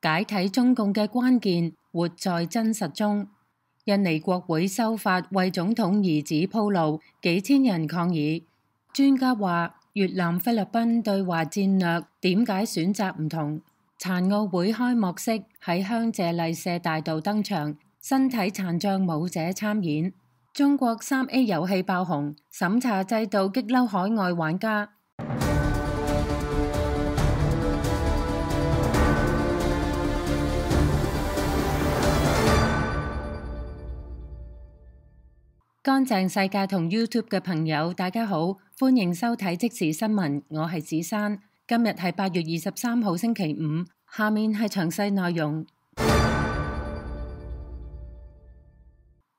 解體中共嘅關鍵活在真實中。印尼國會修法為總統兒子鋪路，幾千人抗議。專家話越南菲律賓對華戰略點解選擇唔同？殘奧會開幕式喺香榭麗舍大道登場，身體殘障舞者參演。中國3A 遊戲爆紅，審查制度激嬲海外玩家。乾淨世界同 YouTube 嘅朋友，大家好，歡迎收睇即時新聞，我係子珊。今日係8月23號星期五，下面係詳細內容。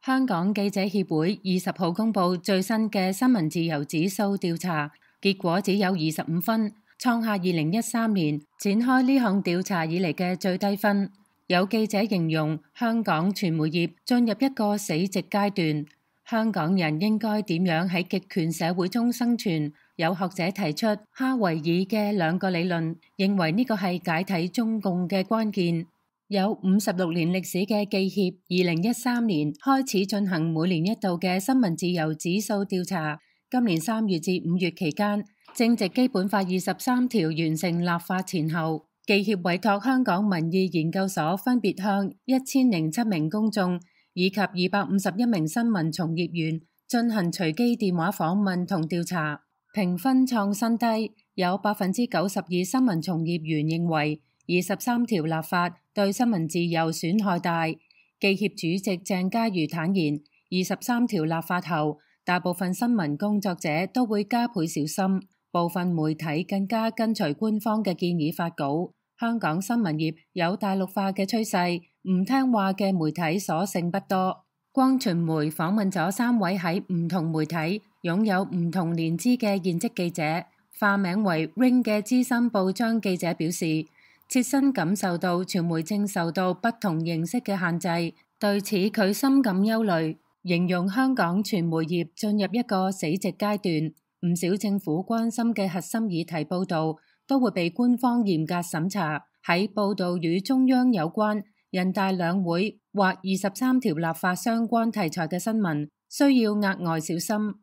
香港記者協會20號公布最新嘅新聞自由指數調查，結果只有25分，創下2013年展開呢項調查以嚟嘅最低分。有記者形容香港傳媒業進入一個死寂階段。香港人應該點樣喺極權社會中生存？有學者提出哈維爾嘅2個理論，認為呢個係解體中共嘅關鍵。有56年歷史嘅記協2013年開始進行每年一度嘅新聞自由指數調查。今年3月至5月期間，正值基本法23條完成立法前後，記協委託香港民意研究所分別向1007名公眾以及251名新聞從業員進行隨機電話訪問同調查，評分創新低。有92%新聞從業員認為23條立法對新聞自由損害大。記協主席鄭家瑜坦言，23條立法後，大部分新聞工作者都會加倍小心，部分媒體更加跟隨官方嘅建議發稿。香港新聞業有大陸化嘅趨勢，唔聽話嘅媒體所剩不多。光傳媒訪問咗3位喺唔同媒體擁有唔同年資嘅現職記者，化名為 Ring 嘅資深報章記者表示，切身感受到傳媒正受到不同形式嘅限制，對此佢深感憂慮，形容香港傳媒業進入一個死寂階段。唔少政府關心嘅核心議題報導都會被官方嚴格審查。喺報導與中央有關、人大兩會或23條立法相關題材嘅新聞，需要額外小心。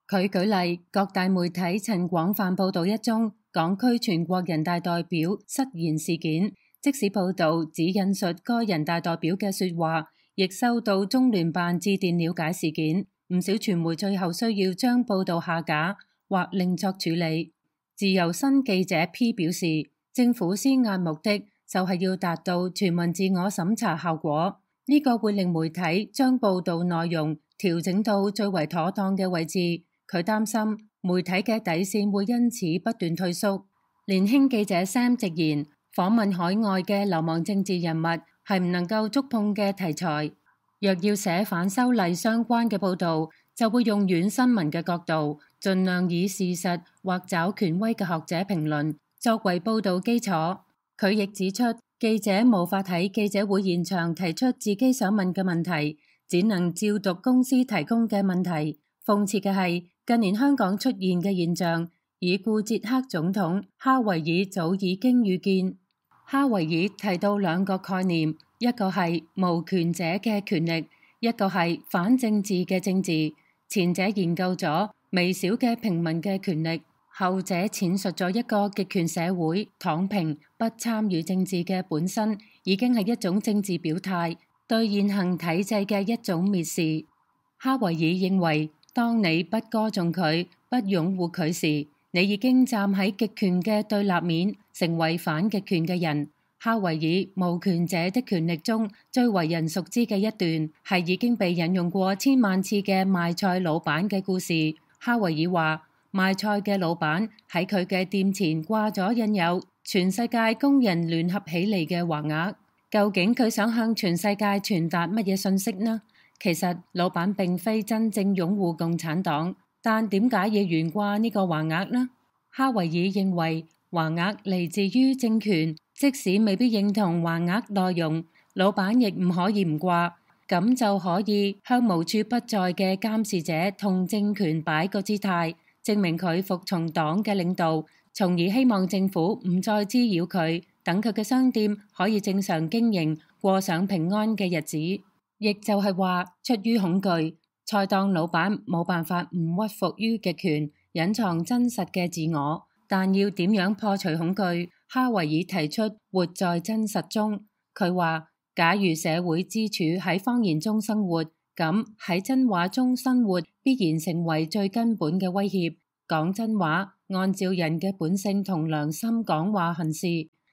佢舉例，各大媒體曾廣泛報導一宗港區全國人大代表失言事件，即使報導只引述該人大代表嘅說話，亦收到中聯辦致電了解事件。唔少傳媒最後需要將報導下架或另作處理。自由新記者 P 表示，政府施壓目的就係要達到全民自我審查效果，呢個會令媒體將報導內容調整到最為妥當嘅位置。佢擔心媒體嘅底線會因此不斷退縮。年輕記者 Sam 直言，訪問海外嘅流亡政治人物係唔能夠觸碰嘅題材。若要寫反修例相關嘅報導，就會用軟新聞嘅角度，盡量以事實或找權威嘅學者評論作為報導基礎。佢亦指出，記者無法喺記者會現場提出自己想問嘅問題，只能照讀公司提供嘅問題。諷刺嘅係，近年香港出現嘅現象，已故捷克總統哈維爾早已經預見。哈維爾提到2個概念，一個係無權者嘅權力，一個係反政治嘅政治。前者研究咗微小嘅平民嘅權力，後者闡述咗一個極權社會躺平不參與政治嘅本身已經係一種政治表態，對現行體制嘅一種蔑視。哈維爾認為，當你不歌頌佢、不擁護佢時，你已經站喺極權嘅對立面，成為反極權嘅人。哈維爾無權者的權力中最為人熟知嘅一段，係已經被引用過千萬次嘅賣菜老闆嘅故事。哈維爾話，賣菜嘅老闆喺佢嘅店前掛咗印有全世界工人聯合起嚟嘅橫額，究竟佢想向全世界傳達乜嘢信息呢？其實老闆並非真正擁護共產黨，但點解要懸掛呢個橫額呢？哈維爾認為橫額嚟自於政權，即使未必認同橫額內容，老闆亦唔可以唔掛，咁就可以向無處不在嘅監視者同政權擺個姿態，證明佢服從黨嘅領導，從而希望政府唔再滋擾佢，等佢嘅商店可以正常經營，過上平安嘅日子。亦就係話，出於恐懼，菜檔老闆冇辦法唔屈服於極權，隱藏真實嘅自我。但要點樣破除恐懼？哈維爾提出活在真實中。佢話，假如社會支柱喺謊言中生活，咁喺真話中生活必然成為最根本嘅威脅。講真話，按照人嘅本性同良心講話行事，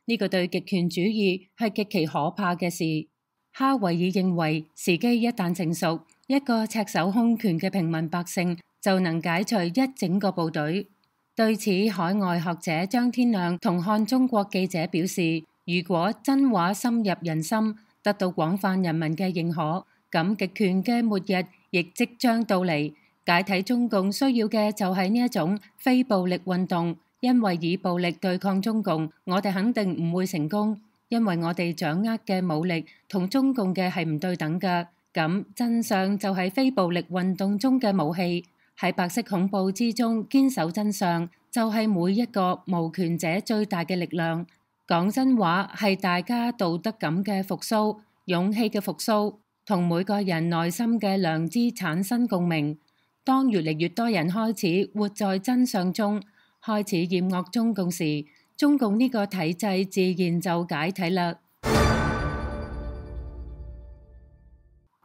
呢個對極權主義係極其可怕嘅事。哈維爾認為，時機一旦成熟，一個赤手空拳嘅平民百姓就能解除一整個部隊。對此，海外學者張天亮同漢中國記者表示，如果真話深入人心，得到廣泛人民嘅認可，咁極權嘅末日亦即將到嚟。解體中共需要嘅就係呢一種非暴力運動，因為以暴力對抗中共，我哋肯定唔會成功，因為我哋掌握嘅武力同中共嘅係唔對等嘅。咁真相就係非暴力運動中嘅武器，喺白色恐怖之中堅守真相，就係每一個無權者最大嘅力量。講真話係大家道德感嘅復甦、勇氣嘅復甦，同每個人內心嘅良知產生共鳴。當越嚟越多人開始活在真相中，開始厭惡中共時，中共呢個體制自然就解體啦。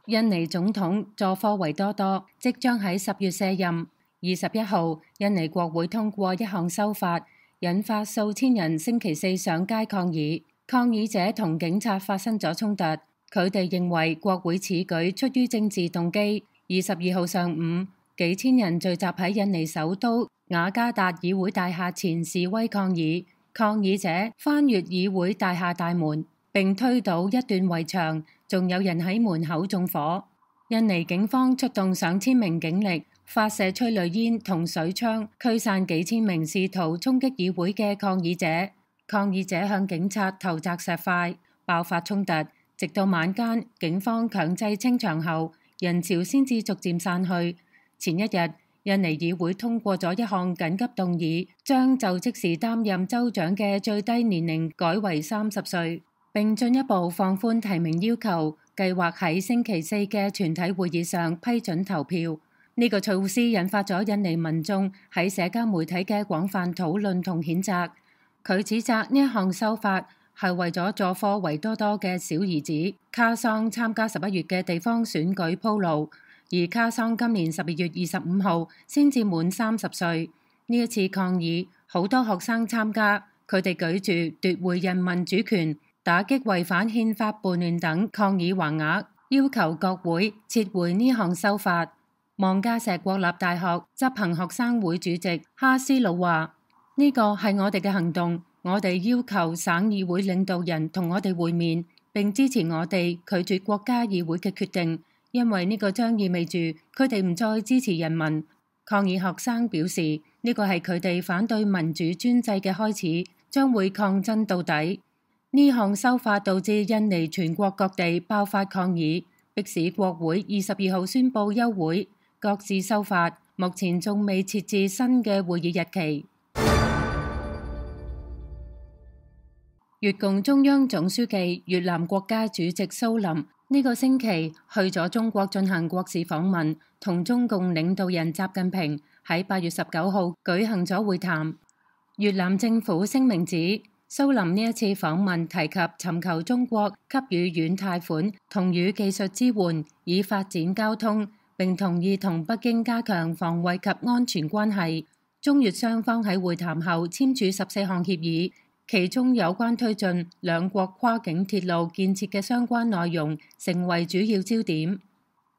印尼總統佐科維多多即將喺10月卸任。21號，印尼國會通過一項修法，引發數千人星期四上街抗議。抗議者同警察發生咗衝突，佢哋認為國會此舉出於政治動機。22號上午，幾千人聚集喺印尼首都雅加達議會大廈前示威抗議。抗議者翻越議會大廈大門，並推倒一段圍牆，仲有人喺門口縱火。印尼警方出動上千名警力，發射催淚煙同水槍，驅散幾千名試圖衝擊議會嘅抗議者。抗議者向警察投擲石塊，爆發衝突，直到晚間，警方強制清場後，人潮先至逐漸散去。前一日，印尼議會通過咗一項緊急動議，將就職時擔任州長嘅最低年齡改為30歲，並進一步放寬提名要求，計劃喺星期四嘅全體會議上批准投票。呢個措施引發咗印尼民眾喺社交媒體嘅廣泛討論同譴責。佢指責呢一項修法係為咗佐科維多多嘅小兒子卡桑參加11月嘅地方選舉鋪路。而卡桑今年12月25號先至滿30歲。呢一次抗議，好多學生參加，佢哋舉住奪回人民主權、打擊違反憲法叛亂等抗議橫額，要求國會撤回呢項修法。望加石國立大學執行學生會主席哈斯魯話：呢個係我哋嘅行動，我哋要求省議會領導人同我哋會面，並支持我哋拒絕國家議會嘅決定。因為呢個將意味住佢哋唔再支持人民。抗議學生表示，呢個係佢哋反對民主專制嘅開始，將會抗爭到底。呢項修法導致印尼全國各地爆發抗議，迫使國會22號宣布休會，各自修法。目前仲未設置新嘅會議日期。越共中央總書記、越南國家主席蘇林呢個星期去咗中國進行國事訪問，同中共領導人習近平喺8月19號舉行咗會談。越南政府聲明指，蘇林呢一次訪問提及尋求中國給予軟貸款同與技術支援，以發展交通，並同意同北京加強防衛及安全關係。中越雙方喺會談後簽署14項協議。其中有關推進兩國跨境鐵路建設嘅相關內容成為主要焦點。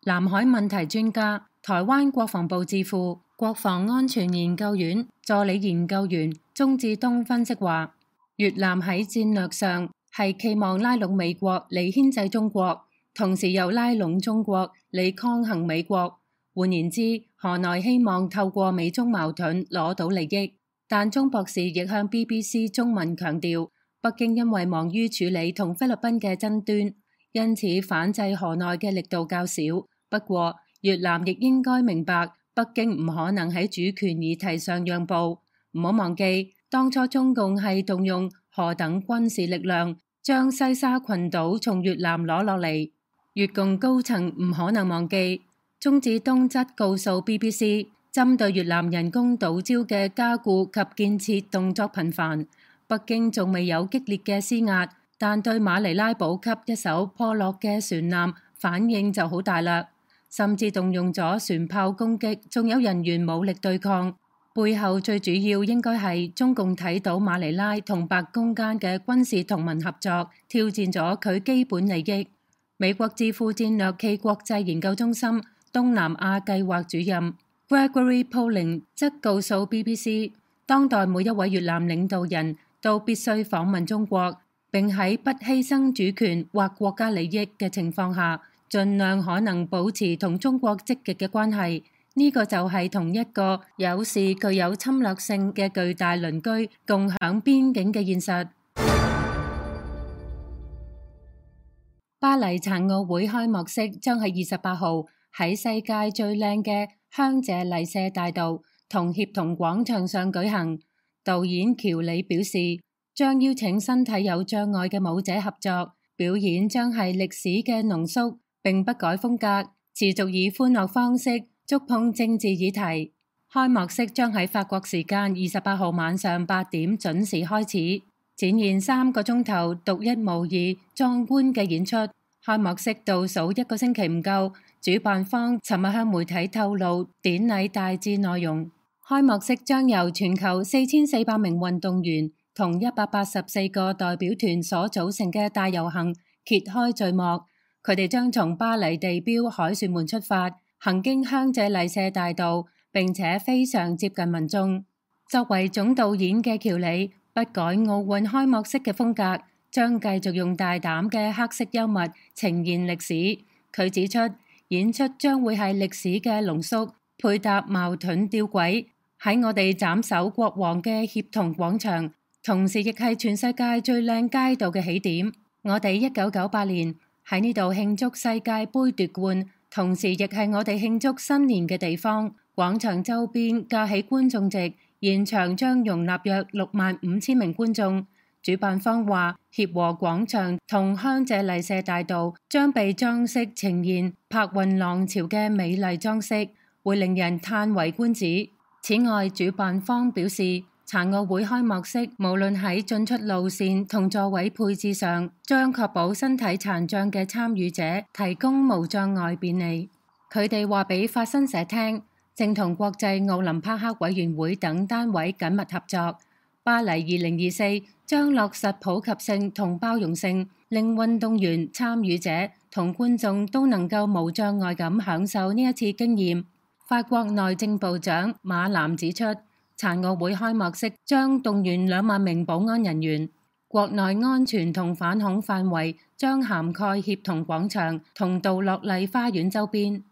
南海問題專家、台灣國防部智庫國防安全研究院助理研究員鍾志東分析話，越南喺戰略上係期望拉攏美國嚟牽制中國，同時又拉攏中國嚟抗衡美國。換言之，河內希望透過美中矛盾攞到利益。但鍾博士亦向 BBC 中文強調，北京因為忙於處理同菲律賓嘅爭端，因此反制河內嘅力度較少。不過，越南亦應該明白，北京唔可能喺主權議題上讓步。唔好忘記，當初中共係動用何等軍事力量將西沙群島從越南攞落嚟。越共高層唔可能忘記。鍾志東則告訴 BBC， 針對越南人工島礁嘅加固及建設動作頻繁，北京仲未有激烈嘅施壓，但對馬尼拉補給一艘破落嘅船艦反應就好大啦，甚至動用咗船炮攻擊，仲有人員武力對抗。背後最主要應該係中共睇到馬尼拉同白宮間嘅軍事同盟合作挑戰咗佢基本利益。美國智庫戰略暨國際研究中心東南亞計劃主任 Gregory Poling 則告訴 BBC， 當代每一位越南領導人都必須訪問中國，並喺不犧牲主權或國家利益嘅情況下，盡量可能保持同中國積極嘅關係。呢個就係同一個有時具有侵略性嘅巨大鄰居共享邊境嘅現實。巴黎殘奧會開幕式將喺28號喺世界最靚嘅香榭麗舍大道同協同廣場上舉行。導演喬里表示，將邀請身體有障礙嘅舞者合作，表演將係歷史嘅濃縮，並不改風格，持續以歡樂方式觸碰政治議題。開幕式將喺法國時間28號晚上8點準時開始，展現3個鐘頭獨一無二壯觀嘅演出。開幕式倒數1個星期唔夠，主辦方尋日向媒體透露典禮大致內容。開幕式將由全球4400名運動員同184個代表團所組成嘅大遊行揭開序幕。佢哋將從巴黎地標凱旋門出發，行經香榭麗舍大道，並且非常接近民眾。作為總導演嘅喬里不改奧運開幕式嘅風格，將繼續用大膽嘅黑色幽默呈現歷史。佢指出，演出將會係歷史嘅濃縮，配搭矛盾吊詭，喺我哋斬首國王嘅協同廣場，同時亦係全世界最靚街道嘅起點。我哋1998年喺呢度慶祝世界盃奪冠，同時亦係我哋慶祝新年嘅地方。廣場周邊架起觀眾席，現場將容納約65000名觀眾。主辦方話，協和廣場同香榭麗舍大道將被裝飾呈現柏雲浪潮嘅美麗裝飾，會令人嘆為觀止。此外，主辦方表示，殘奧會開幕式無論喺進出路線同座位配置上，將確保身體殘障嘅參與者提供無障礙便利。佢哋話俾法新社聽，正同國際奧林匹克委員會等單位緊密合作。巴黎2024將落實普及性同包容性，令運動員、參與者同觀眾都能夠無障礙咁享受呢一次經驗。法國內政部長馬南指出，殘奧會開幕式將動員2萬名保安人員，國內安全同反恐範圍將涵蓋協同廣場同杜樂麗花園周邊。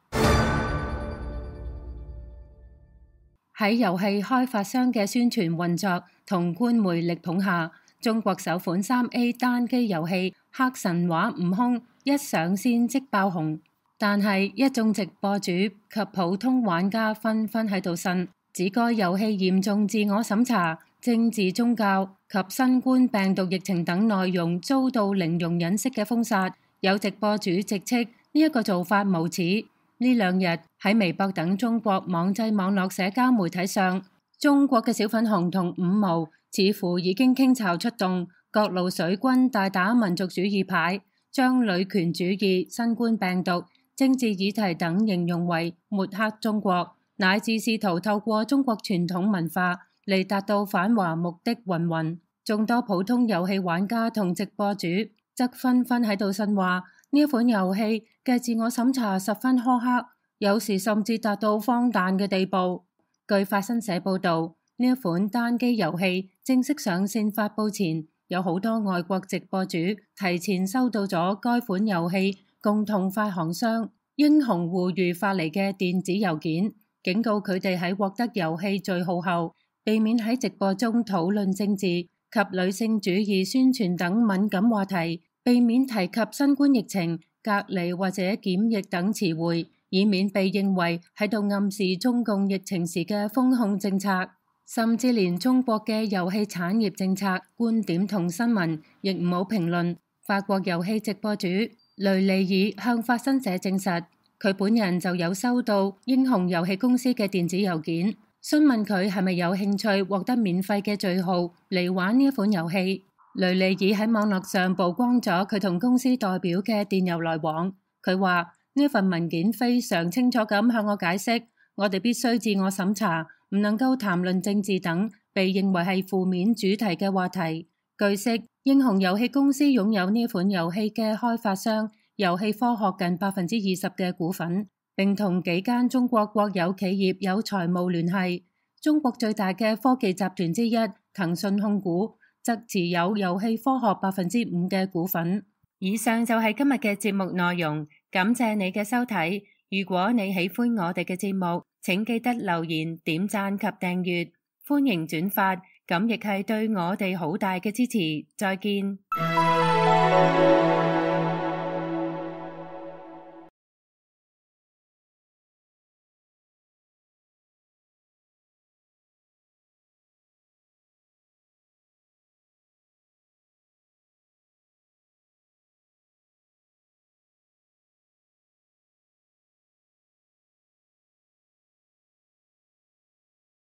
喺遊戲開發商嘅宣傳運作同官媒力捧下，中國首款3A 單機遊戲《黑神話：悟空》一上線即爆紅，但係一眾直播主及普通玩家紛紛喺度呻，指該遊戲嚴重自我審查、政治、宗教及新冠病毒疫情等內容遭到零容忍式嘅封殺。有直播主直斥呢一個做法無恥。呢2日喺微博等中國網際網絡社交媒體上，中國嘅小粉紅同五毛似乎已經傾巢出動，各路水軍大打民族主義牌，將女權主義、新冠病毒、政治議題等形容為抹黑中國，乃至試圖透過中國傳統文化嚟達到反華目的云云。眾多普通遊戲玩家同直播主則紛紛喺度呻話，呢一款遊戲嘅自我審查十分苛刻，有時甚至達到荒誕嘅地步。據法新社報導，呢一款單機遊戲正式上線發佈前，有好多外國直播主提前收到咗該款遊戲共同發行商英雄互娛發嚟嘅電子郵件，警告佢哋喺獲得遊戲序號後，避免喺直播中討論政治及女性主義宣傳等敏感話題，避免提及新冠疫情、隔離或者檢疫等詞彙，以免被認為喺度暗示中共疫情時嘅封控政策。甚至連中國嘅遊戲產業政策、觀點同新聞亦唔好評論。法國遊戲直播主雷尼爾向法新社證實，佢本人就有收到英雄遊戲公司嘅電子郵件，詢問佢係咪有興趣獲得免費嘅序號嚟玩呢一款遊戲。雷尼爾喺網絡上曝光咗佢同公司代表嘅電郵來往。佢話呢份文件非常清楚咁向我解釋，我哋必須自我審查，唔能夠談論政治等被認為係負面主題嘅話題。據悉，英雄遊戲公司擁有呢款遊戲嘅開發商遊戲科學近20%嘅股份，並同幾間中國國有企業有財務聯繫。中國最大嘅科技集團之一騰訊控股則持有遊戲科學5%嘅股份。以上就係今日嘅節目內容，感謝你嘅收睇。如果你喜歡我哋嘅節目，請記得留言、點讚及訂閱，歡迎轉發，咁亦係對我哋好大嘅支持。再見。